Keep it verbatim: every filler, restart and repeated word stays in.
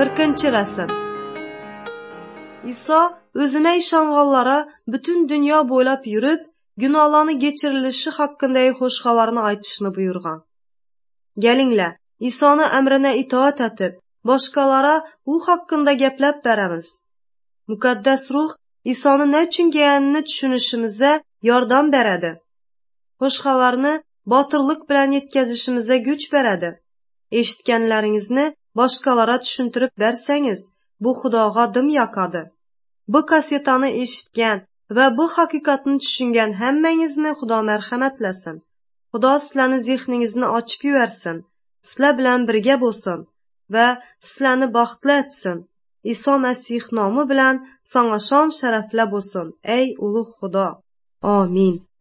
Кыркынчы рәсем. Иса өзүнө ишанганларга бүтүн дүйнө бойлап жүрүп, гүнаһларны кечирилиши хакындагы Хош Хабарны айтышны буйруган. Келиңле, Исаны әмрине итоат этип, башкаларга у хакында гәпләп беребиз. Мукаддес Рух Исаны не үчүн келгенин түшүнүшүбүзгө жардам береди. Хош Хабарны батырлык менен жеткизишибизге күч береди. Эшиткенлериңизни башкаларга түшүндүрүп берсеңиз, бу Худога дым якады. Бу кассетаны эшиткен ва бу хакыйкатны түшүнгөн һәммәңизни Худо мәрхәмәтләсен. Худо силәрни зехниңизни ачып жибәрсен. Силәр белән бергә булсын ва силәрни бәхетле этсен. Исо Мәсих номы белән саңа шан шәрәфле булсын, эй улуг Худо. Амин.